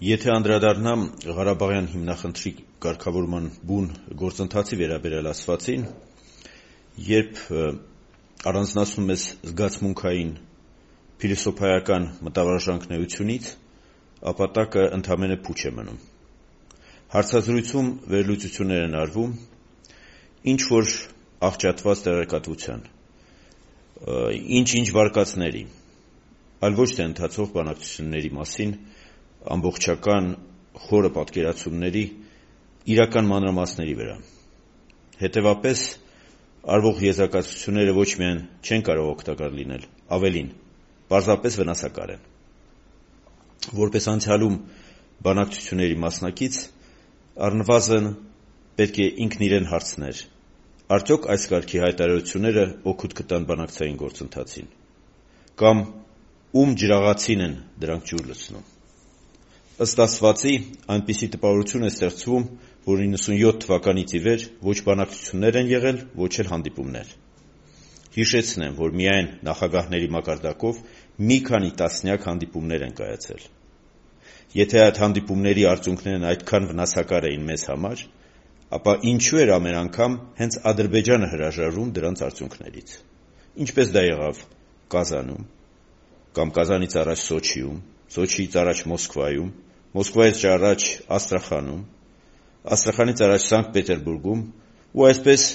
Եթե անդրադառնամ Ղարաբաղյան հիմնախնդրի կարգավորման բուն գործընթացի վերաբերյալ ասվածին, երբ առանձնացնում ես զգացմունքային փիլիսոփայական մտավարժանքներությունից, ապա տակը ընդամենը փուչ է մնում։ Հարցազրույցում վերլուծություններ են արվում, ինչ-որ աղճատված տեղեկատվության, ինչ-ինչ վարկածների, այլ ոչ թե ընթացող բանակցությունների մասին ամբողջական խորը պատկերացումների իրական մանրամասների վրա։ Հետևապես, արվող եզրակացությունները ոչ միայն չեն կարող օգտակար լինել, ավելին, պարզապես վնասակար են։ Որպես անցյալում բանակցությունների մասնակից, առնվազն պետք է ինքն իրեն հարցներ, արդյոք այս կարգի հայտարարությունները օգուտ կտան բանակցային գործընթացին, կամ ում ջրաղացին են դրանք ջուր լցնում։ Ըստ ասվածի, այնպիսի տպավորություն է ստեղծվում, որ 97 թվականից ի վեր ոչ բանակցություններ են եղել, ոչ էլ հանդիպումներ։ Հիշեցնեմ, որ միայն նախագահների մակարդակով մի քանի տասնյակ հանդիպումներ են կայացել։ Եթե այդ հանդիպումների արդյունքներն այդքան վնասակար էին մեզ համար, ապա ինչու էր ամեն անգամ հենց Ադրբեջանը հրաժարվում դրանց արդյունքներից։ Ինչպես դա եղավ Կազանում, կամ Կազանից առաջ Սոչիում, Սոչիից առաջ Մոսկվայում, Մոսկվայից առաջ Աստրախանում, Աստրախանից առաջ Սանկտ Պետերբուրգում ու այսպես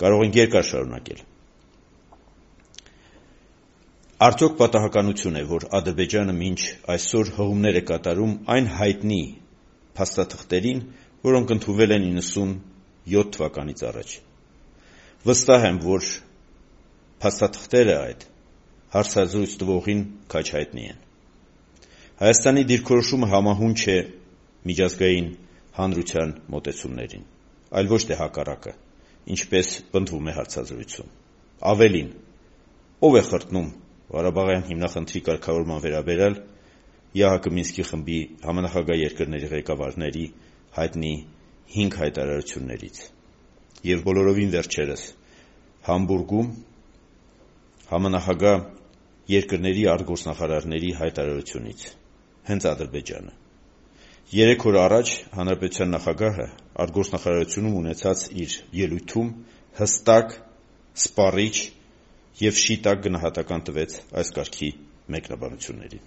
կարող ենք երկար շարունակել։ Արդյոք պատահականություն է, որ Ադրբեջանը մինչ այսօր հղումներ է կատարում այն հայտնի փաստաթղթերին, որոնք ընդունվել են 97 թվականից առաջ։ Վստահ եմ, որ փաստաթղթերը այդ հարցազրույց տվողին քաջ հայտնի են։ Հայաստանի դիրքորոշումը համահունչ է միջազգային հանրության մոտեցումներին, այլ ոչ թե հակառակը, ինչպես պնդվում է հարցազրույցում։ Ավելին, ով է խրտնում Ղարաբաղյան հիմնախնդրի կարգավորման վերաբերյալ ԵԱՀԿ Մինսկի խմբի համանախագահ երկրների ղեկավարների հայտնի 5 հայտարարություններից և բոլորովին վերջերս Համբուրգում համանախագահ երկրների արտգործնախարարների հայտարարությունից, հենց Ադրբեջանը։ 3 օր առաջ Հանրապետության նախագահը արտգործնախարարությունում ունեցած իր ելույթում հստակ, սպառիչ և շիտակ գնահատական տվեց այս կարգի մեկնաբանություններին։